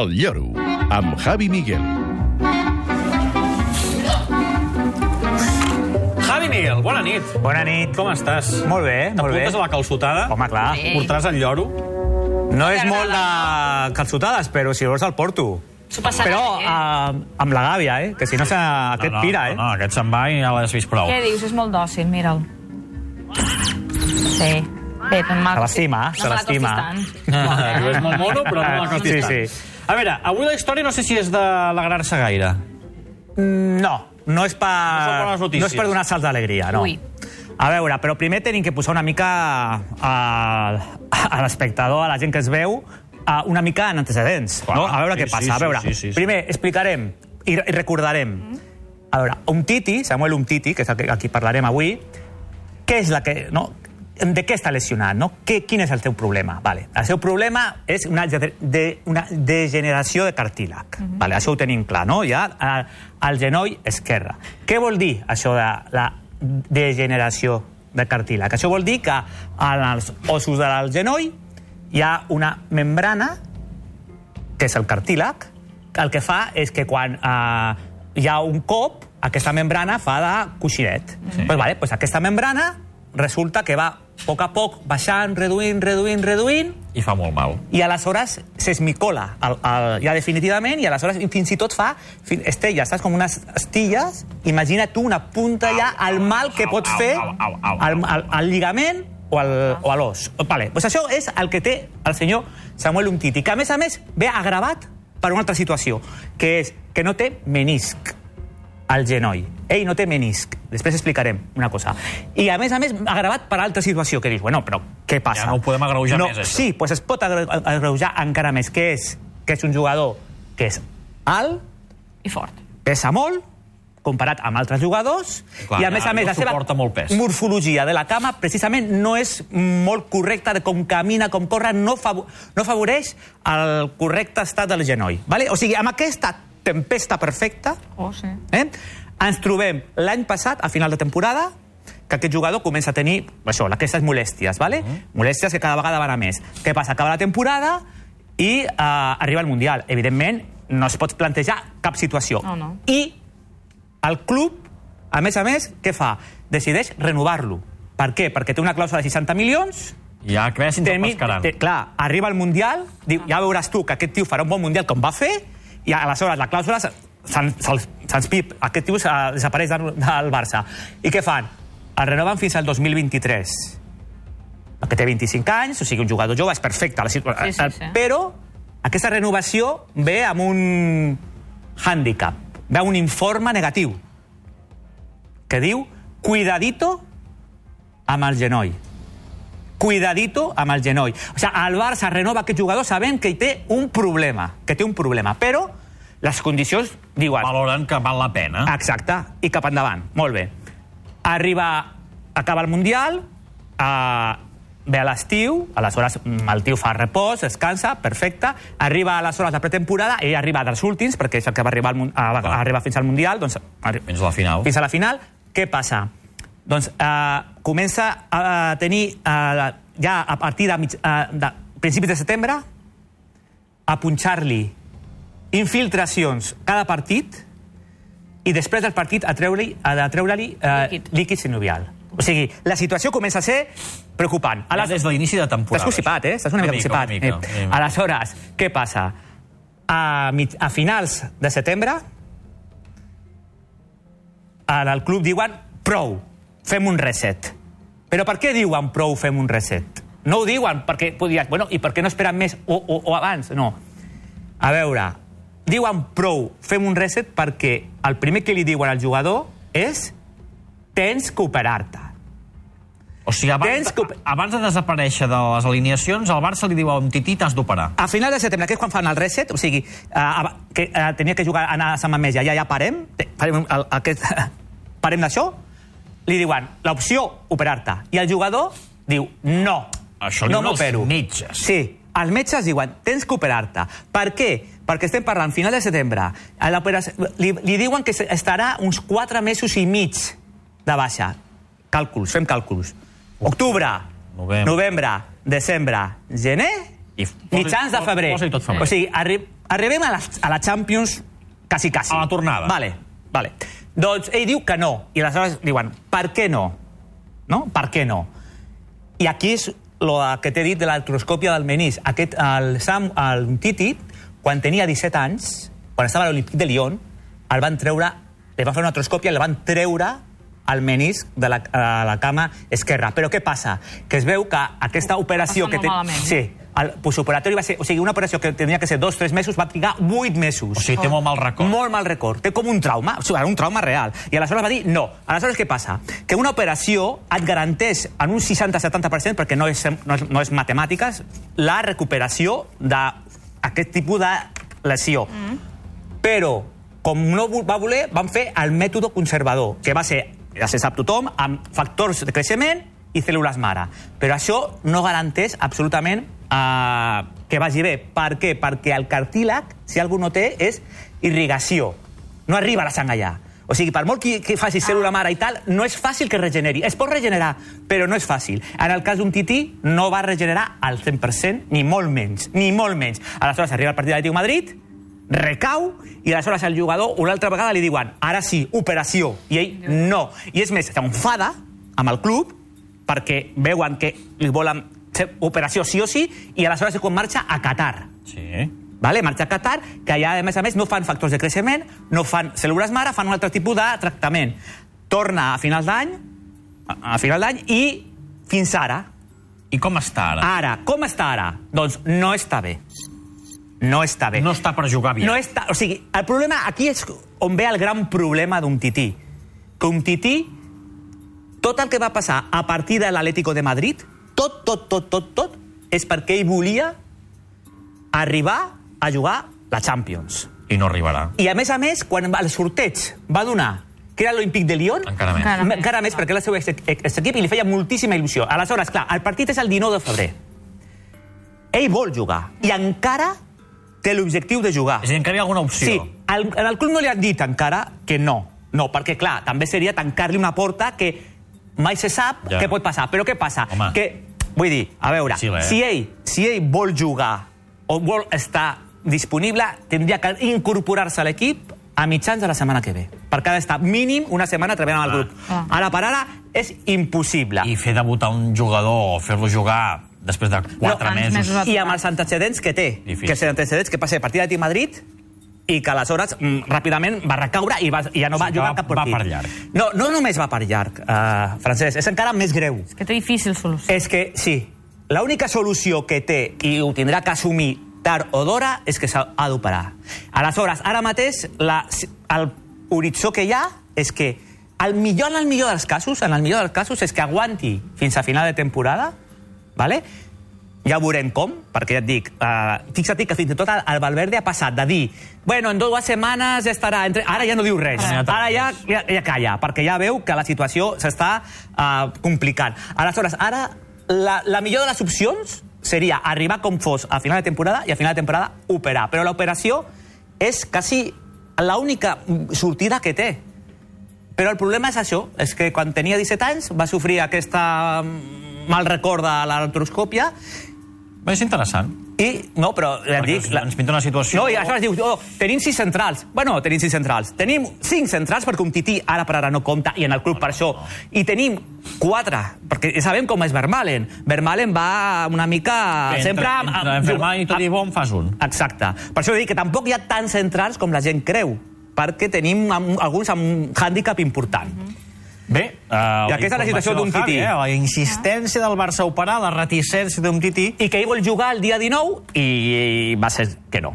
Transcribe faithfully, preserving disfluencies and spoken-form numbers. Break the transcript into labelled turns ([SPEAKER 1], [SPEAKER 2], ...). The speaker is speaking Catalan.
[SPEAKER 1] El Lloro, amb Javi Miguel.
[SPEAKER 2] Javi Miguel, bona nit.
[SPEAKER 3] Bona nit.
[SPEAKER 2] Com estàs?
[SPEAKER 3] Molt bé, molt bé.
[SPEAKER 2] T'apuntes a la calçotada?
[SPEAKER 3] Home, clar.
[SPEAKER 2] Portaràs el lloro?
[SPEAKER 3] No és molt de calçotades, però si vols el porto. Però uh, amb la gàbia, eh? Que si no, aquest
[SPEAKER 2] no, no,
[SPEAKER 3] pira, eh?
[SPEAKER 2] No, no, aquest se'n va i ja l'has vist prou.
[SPEAKER 4] Què dius? És molt dòcil, mira'l. Sí. Bé,
[SPEAKER 3] Se l'estima, se l'estima.
[SPEAKER 2] Tu és molt mono, però no me l'acostis tant.
[SPEAKER 3] Sí, sí.
[SPEAKER 2] A veure, avui la història no sé si és d'alegrar-se gaire.
[SPEAKER 3] No, no és per,
[SPEAKER 2] No són bones notícies.
[SPEAKER 3] no és per donar salts d'alegria, no.
[SPEAKER 4] Ui.
[SPEAKER 3] A veure, però primer tenim que posar una mica a, a l'espectador, a la gent que es veu, a una mica en antecedents,
[SPEAKER 2] Clar,
[SPEAKER 3] no? A veure
[SPEAKER 2] sí,
[SPEAKER 3] què passa.
[SPEAKER 2] sí,
[SPEAKER 3] A veure,
[SPEAKER 2] sí, sí, sí.
[SPEAKER 3] primer explicarem i, i recordarem. A veure, Umtiti, Samuel Umtiti, que és el que aquí parlarem avui, què és la que... No? De què està lesionat, no? Que, quin és el teu problema? Vale. El seu problema és una, de, una degeneració de cartílag. Uh-huh. Vale, això ho tenim clar, no? Ja al, al genoll esquerre. Què vol dir això de la degeneració de cartílag? Això vol dir que als ossos del genoll hi ha una membrana, que és el cartílag, que el que fa és que quan eh, hi ha un cop, aquesta membrana fa de coixinet. Sí. Pues, vale, pues aquesta membrana resulta que va a poc a poc baixant, reduint, reduint, reduint...
[SPEAKER 2] I fa molt mal.
[SPEAKER 3] I aleshores s'esmicola el, el, ja definitivament, i aleshores fins i tot fa estelles, saps? Com unes estilles. Imagina't tu una punta ja al mal que pots fer al, al, al lligament o, al, o a l'os. Vale, pues això és el que té el senyor Samuel Umtiti, que a més a més ve agravat per una altra situació, que és que no té menisc al genoll. Ell no té menisc. Després explicarem una cosa. I, a més a més, agravat per altra situació, que dius, bueno, però què passa?
[SPEAKER 2] Ja no ho podem agreujar
[SPEAKER 3] no,
[SPEAKER 2] més, això.
[SPEAKER 3] Sí, pues es pot agreujar encara més, que és, que és un jugador que és alt,
[SPEAKER 4] I fort.
[SPEAKER 3] pesa molt, comparat amb altres jugadors,
[SPEAKER 2] Clar,
[SPEAKER 3] i a més a més la seva
[SPEAKER 2] molt pes.
[SPEAKER 3] morfologia de la cama precisament no és molt correcta de com camina, com corre, no, fav no afavoreix el correcte estat del genoll. Vale? O sigui, amb aquesta tempesta perfecta,
[SPEAKER 4] Oh, sí.
[SPEAKER 3] eh, ens trobem l'any passat, a final de temporada, que aquest jugador comença a tenir això, aquestes molèsties, vale? Uh -huh. molèsties que cada vegada van a més. Què passa? Acaba la temporada i eh, arriba el Mundial. Evidentment, no es pot plantejar cap situació.
[SPEAKER 4] Oh, no.
[SPEAKER 3] I el club, a més a més, què fa? Decideix renovar-lo. Per què? Perquè té una clàusula de seixanta milions...
[SPEAKER 2] Ja creus sense el pescaran.
[SPEAKER 3] Clar, arriba el Mundial, diu, ja veuràs tu que aquest tio farà un bon Mundial com va fer, i aleshores la clàusula se'ns pip, aquest tio desapareix del Barça. I què fan? El renoven fins al dos mil vint-i-tres. Que té vint-i-cinc anys, o sigui, un jugador jove, és perfecte. La situació,
[SPEAKER 4] sí, sí, sí.
[SPEAKER 3] Però aquesta renovació ve amb un hàndicap, ve amb un informe negatiu, que diu, cuidadito amb el genoll. Cuidadito amb el genoll. O sigui, el Barça renova aquest jugador sabent que hi té un problema, que té un problema, però les condicions diuen...
[SPEAKER 2] Valoren que val la pena.
[SPEAKER 3] Exacte, i cap endavant. Molt bé. Arriba, acaba el Mundial, eh, ve a l'estiu, aleshores el tio fa repòs, descansa, perfecte, arriba aleshores la pretemporada, ell arriba dels últims, perquè és el que va arribar, al, a, va arribar fins al Mundial, doncs...
[SPEAKER 2] Fins a la final.
[SPEAKER 3] Fins a la final. Què passa? Doncs eh, comença a tenir, eh, ja a partir de, mig, eh, de principis de setembre, a punxar-li infiltracions cada partit i després del partit a treure-li treure eh, líquid. líquid sinovial. O sigui, la situació comença a ser preocupant.
[SPEAKER 2] Ja des de l'inici de temporada.
[SPEAKER 3] Estàs constipat, eh? Estàs una mica constipat. Eh. Aleshores, què passa? A, mig, a finals de setembre, al club diuen prou, fem un reset. Però per què diuen prou, fem un reset? No ho diuen perquè podries... Bueno, i per què no esperen més o, o, o abans? No. A veure, diuen prou, fem un reset perquè el primer que li diuen al jugador és tens que operar-te.
[SPEAKER 2] O sigui, abans, que... abans de desaparèixer de les alineacions, el Barça li diu a Umtiti t'has d'operar.
[SPEAKER 3] A final de setembre, que és quan fan el reset, o sigui, uh, que uh, tenia que jugar, anar a Sant Mamés, ja, ja parem, parem el, aquest... parem d'això, li diuen l'opció operar-te. I el jugador diu no,
[SPEAKER 2] Això
[SPEAKER 3] no
[SPEAKER 2] m'opero.
[SPEAKER 3] Els metges. Sí, els metges diuen tens que operar-te. Per què? Perquè estem parlant final de setembre. Li, li diuen que estarà uns quatre mesos i mig de baixa. Càlculs, fem càlculs. Octubre, novembre, novembre desembre, gener, i mitjans de febrer. O sigui, arri arribem a la, a la Champions quasi, quasi.
[SPEAKER 2] A la tornada.
[SPEAKER 3] Vale, vale. Doncs ell diu que no. I aleshores diuen, per què no? No? Per què no? I aquí és lo que t'he dit de l'artroscòpia del menisc. Aquest, el Sam, el Titi, quan tenia disset anys, quan estava a l'Olímpic de Lyon, el van treure, li van fer una artroscòpia i el van treure al menisc de la, a la cama esquerra. Però què passa? Que es veu que aquesta operació...
[SPEAKER 4] Passa
[SPEAKER 3] que
[SPEAKER 4] molt malament.
[SPEAKER 3] Sí, el postoperatori va ser... O sigui, una operació que tenia que ser dos, tres mesos, va trigar vuit mesos.
[SPEAKER 2] O sigui, té molt mal record.
[SPEAKER 3] Molt mal record. Té com un trauma, o sigui, un trauma real. I aleshores va dir no. Aleshores què passa? Que una operació et garanteix en un seixanta setanta per cent, perquè no és, no és, no és matemàtiques, la recuperació d'aquest tipus de lesió. Mm. Però, com no va voler, van fer el mètode conservador, que va ser, ja se sap tothom, amb factors de creixement i cèl·lules mare. Però això no garanteix absolutament eh, que vagi bé. Per què? Perquè el cartílag, si algú no té, és irrigació. No arriba la sang allà. O sigui, per molt que, que faci cèl·lula mare i tal, no és fàcil que regeneri. Es pot regenerar, però no és fàcil. En el cas d'un tití, no va regenerar al cent per cent, ni molt menys, ni molt menys. Aleshores arriba el partit de l'Atlètic de Madrid, recau, i aleshores el jugador una altra vegada li diuen, ara sí, operació, i ell no. I és més, s'enfada amb el club perquè veuen que li volen fer operació sí o sí, i aleshores és quan marxa a Qatar.
[SPEAKER 2] Sí.
[SPEAKER 3] Vale? Marxa a Qatar, que allà, a més a més, no fan factors de creixement, no fan cèl·lules mare, fan un altre tipus de tractament. Torna a final d'any, a final d'any, i fins ara.
[SPEAKER 2] I com està ara?
[SPEAKER 3] Ara, com està ara? Doncs no està bé. No està bé.
[SPEAKER 2] No està per jugar bé.
[SPEAKER 3] No està, o sigui, el problema aquí és on ve el gran problema d'un tití. Que un tití, tot el que va passar a partir de l'Atlético de Madrid, tot, tot, tot, tot, tot, és perquè ell volia arribar a jugar la Champions.
[SPEAKER 2] I no arribarà.
[SPEAKER 3] I a més a més, quan el sorteig va donar que era l'Olímpic de Lyon,
[SPEAKER 2] encara més.
[SPEAKER 4] Encara més.
[SPEAKER 3] encara més perquè era el seu ex equip i li feia moltíssima il·lusió. Aleshores, clar, el partit és el dinou de febrer. Ell vol jugar i encara té l'objectiu de jugar.
[SPEAKER 2] És a dir, encara hi ha alguna opció.
[SPEAKER 3] Sí, al, al club no li han dit encara que no. No, perquè, clar, també seria tancar-li una porta que mai se sap
[SPEAKER 2] ja.
[SPEAKER 3] què pot passar. Però què passa?
[SPEAKER 2] Home.
[SPEAKER 3] Que, vull dir, a veure,
[SPEAKER 2] Sí,
[SPEAKER 3] si, ell, si ell vol jugar o vol estar disponible, tindria que incorporar-se a l'equip a mitjans de la setmana que ve. Perquè ha d'estar mínim una setmana treballant amb el grup.
[SPEAKER 4] Ah.
[SPEAKER 3] Ara per ara és impossible.
[SPEAKER 2] I fer debutar un jugador o fer-lo jugar després de quatre
[SPEAKER 3] No,
[SPEAKER 2] mesos...
[SPEAKER 4] mesos.
[SPEAKER 3] I amb els antecedents que té,
[SPEAKER 2] Difícil.
[SPEAKER 3] que els antecedents que passa a partir de Madrid i que aleshores mm, ràpidament va recaure i, va, i ja no va
[SPEAKER 2] Sí,
[SPEAKER 3] jugar
[SPEAKER 2] va-
[SPEAKER 3] cap partit.
[SPEAKER 2] va per llarg.
[SPEAKER 3] No, no només va per llarg, uh, Francesc, és encara més greu.
[SPEAKER 4] És que té difícil solució.
[SPEAKER 3] És que, sí, l'única solució que té i ho tindrà que assumir tard o d'hora és que s'ha d'operar. Aleshores, ara mateix, la, el horitzó que hi ha és que el millor en el millor dels casos, en el millor dels casos, és que aguanti fins a final de temporada, ¿vale? Ja veurem com, perquè ja et dic, uh, fixa't que fins i tot el Valverde ha passat de dir bueno, en dues setmanes ja estarà... Entre... Ara ja no diu res,
[SPEAKER 2] Ah.
[SPEAKER 3] ara ja, ja, ja calla, perquè ja veu que la situació s'està uh, complicant. Aleshores, ara la, la millor de les opcions seria arribar com fos a final de temporada i a final de temporada operar, però l'operació és quasi l'única sortida que té. Però el problema és això, és que quan tenia disset anys va sofrir aquesta mal record de l'artroscòpia.
[SPEAKER 2] Bé, és interessant.
[SPEAKER 3] I, no, però ja et
[SPEAKER 2] Perquè
[SPEAKER 3] dic...
[SPEAKER 2] ens- ens pinta una situació-
[SPEAKER 3] No, i aleshores dius, oh, tenim sis centrals. Bueno, tenim sis centrals. Tenim cinc centrals perquè un tití ara per ara no compta i en el club per això. I tenim quatre, perquè sabem com és Vermaelen. Vermaelen va una mica...
[SPEAKER 2] Entre,
[SPEAKER 3] sempre... amb-
[SPEAKER 2] entre
[SPEAKER 3] amb-
[SPEAKER 2] enfermar i tot
[SPEAKER 3] amb-
[SPEAKER 2] i bon fas un.
[SPEAKER 3] Exacte. Per això dic que tampoc hi ha tants centrals com la gent creu, perquè tenim amb, alguns amb un hàndicap important.
[SPEAKER 2] Bé, uh,
[SPEAKER 3] I aquesta és la situació d'un tití.
[SPEAKER 2] Eh? La insistència del Barça a operar, la reticència d'un tití.
[SPEAKER 3] I que ell vol jugar el dia dinou i va ser que no.